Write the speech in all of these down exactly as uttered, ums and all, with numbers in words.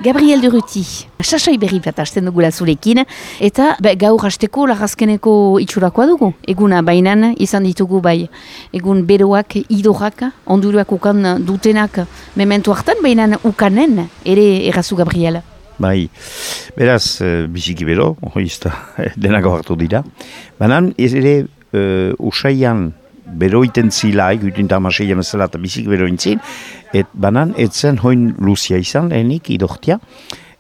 Gabriel Durruti, sasoi berri bat hasten dugula zurekin, eta be, gaur hasteko lagazkeneko itxurakoa dugu. Eguna bainan izan ditugu bai, egun beroak, idorak, onduruak ukan dutenak, mementu hartan bainan ukanen, ere errazu Gabriel. Bai, beraz, uh, biziki bero, hoizta, denako hartu dira. Banan, ez ere, uh, usaian, beroiten zilaik, utin tamaseian ezela eta bizik berointzin, et banan etzen hoin luzia izan, lehenik idortia,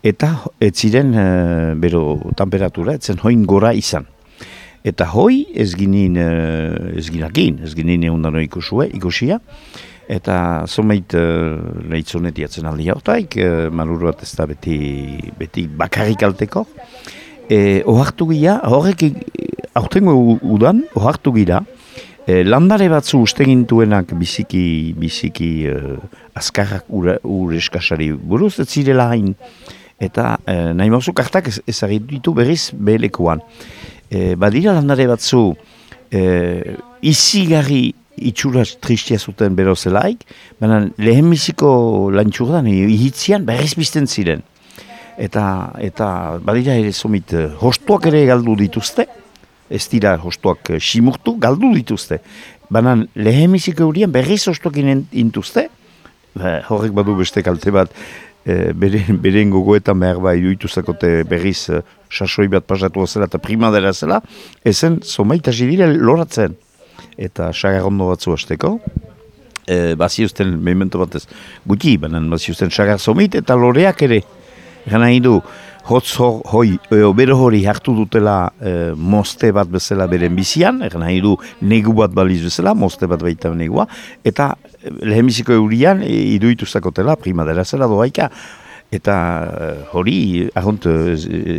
eta etziren uh, bero temperatura, etzen hoin gora izan. Eta hoi ez ginin, uh, ez ginakin, ez ginin eundano ikusue, ikusia, eta zomeit uh, lehitzonet jatzen aldi hautaik, uh, maluru bat ez da beti, beti bakarrik alteko. E, ohartu gira, horrek aurtengo udan, ohartu gira, E, landare batzu ustegintuenak biziki, biziki uh, azkarrak ur, ur eskasari buruz, ez zirela hain. Eta uh, nahi mauzu kartak ez, ezagitu ditu berriz behelekuan. E, badira landare batzu uh, izigarri itxura tristia zuten berozelaik, baina lehen biziko lantxurdan ihitzian berriz bizten ziren. Eta, eta badira ere zomit uh, hostuak ere galdu dituzte, ez dira hostuak simurtu, galdu dituzte. Baina lehemiziko eurien berriz hostuak intuzte, horrek badu beste kalte bat, e, beren, beren gogoetan behar bai duituzakote berriz e, sasoi bat pasatu zela eta primadera zela, ezen zomaita zidire loratzen. Eta sagarrondo batzu hasteko, e, baziuzten, memento batez, guti, baina baziuzten sagar zomit eta loreak ere, gana hidu, hotz hoi, bero hori hartu dutela e, moste bat bezala beren bizian, egan nahi du negu bat baliz bezala, moste bat baita negua, eta lehemiziko eurian e, iduituzakotela primadera zela doaika, eta e, hori ahont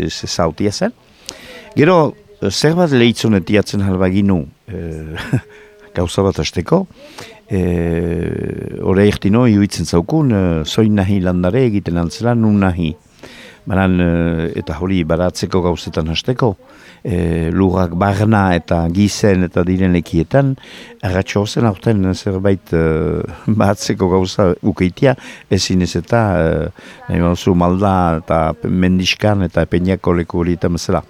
zautia zen. Gero, zer bat lehitzonetiatzen halbaginu e, gauza bat hasteko, e, hori ertino iuitzen zaukun, e, zoin nahi landare egiten antzela, nun nahi. Banan, eta hori baratzeko gauzetan hasteko, e, lurrak barna eta gizen eta diren lekietan, arratxo zen aurten zerbait e, baratzeko gauza ukeitia, ezin ez eta e, nahi mauzu malda eta mendiskan eta peñako leku horietan bezala.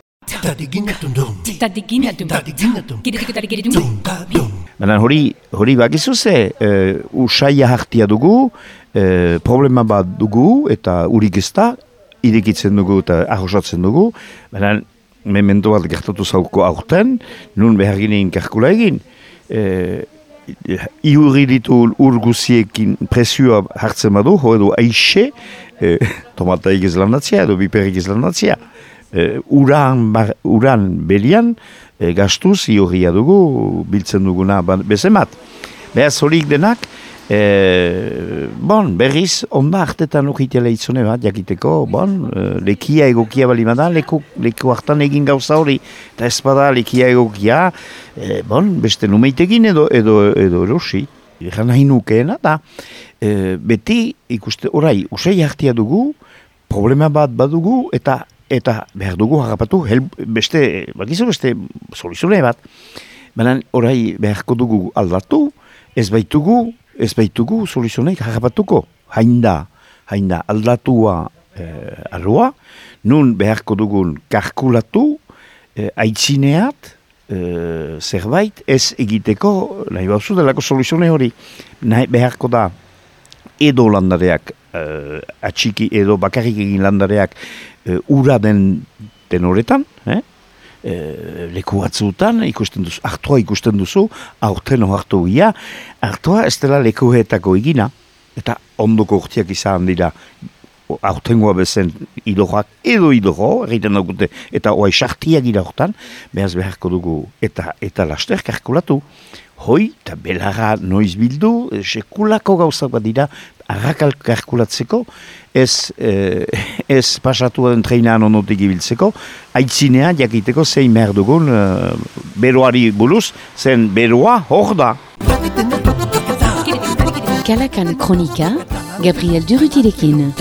Banan, hori, hori bakizu ze, e, usaia hartia dugu, e, problema bat dugu eta urik ez da, irekitzen dugu eta arrosatzen dugu, baina memento bat gertatu zauko aurten, nun behar ginen kalkula egin. E, Iurri ditu urguziekin presioa hartzen badu, ho edo aixe, e, tomataik ez landatzea edo biperik ez landatzea. E, uran, bar, uran belian, e, gastuz iurria dugu, biltzen duguna bezemat. Behaz horik denak, E, bon, berriz, onda hartetan ukitela itzone bat, jakiteko, bon, e, lekia egokia bali bada, leku, leku hartan egin gauza hori, eta ez bada lekia egokia, e, bon, beste numeitekin edo, edo, edo erosi, egan nahi nukeena, da, e, beti, ikuste, orai, usai hartia dugu, problema bat badugu, eta eta behar dugu harrapatu, hel, beste, bakizu beste, soluzune bat, baina orai beharko dugu aldatu, ez baitugu, Ez baitugu soluzioneik harrapatuko, hain da, hain da aldatua e, arroa, nun beharko dugun kalkulatu, e, aitzineat, e, zerbait ez egiteko, nahi bauzu delako soluzione hori, nahi beharko da edo landareak, e, atxiki edo bakarrik egin landareak e, ura den, den horretan, eh? E, leku batzutan ikusten duzu, hartua ikusten duzu, aurten hartu gira, hartua ez dela lekuhetako egina, eta ondoko urtiak izan dira, aurtengoa bezen idorrak edo idorro, egiten daukute, eta oai sartiak gira hortan, behaz beharko dugu, eta eta laster kalkulatu, hoi, eta belarra noiz bildu, sekulako gauzak bat dira, arrakal kalkulatzeko, ez, eh, ez pasatu den treinaan onotik ibiltzeko, aitzinea jakiteko zein behar dugun eh, beroari buruz, zen beroa hor da. Kalakan Kronika, Gabriel Durrutirekin.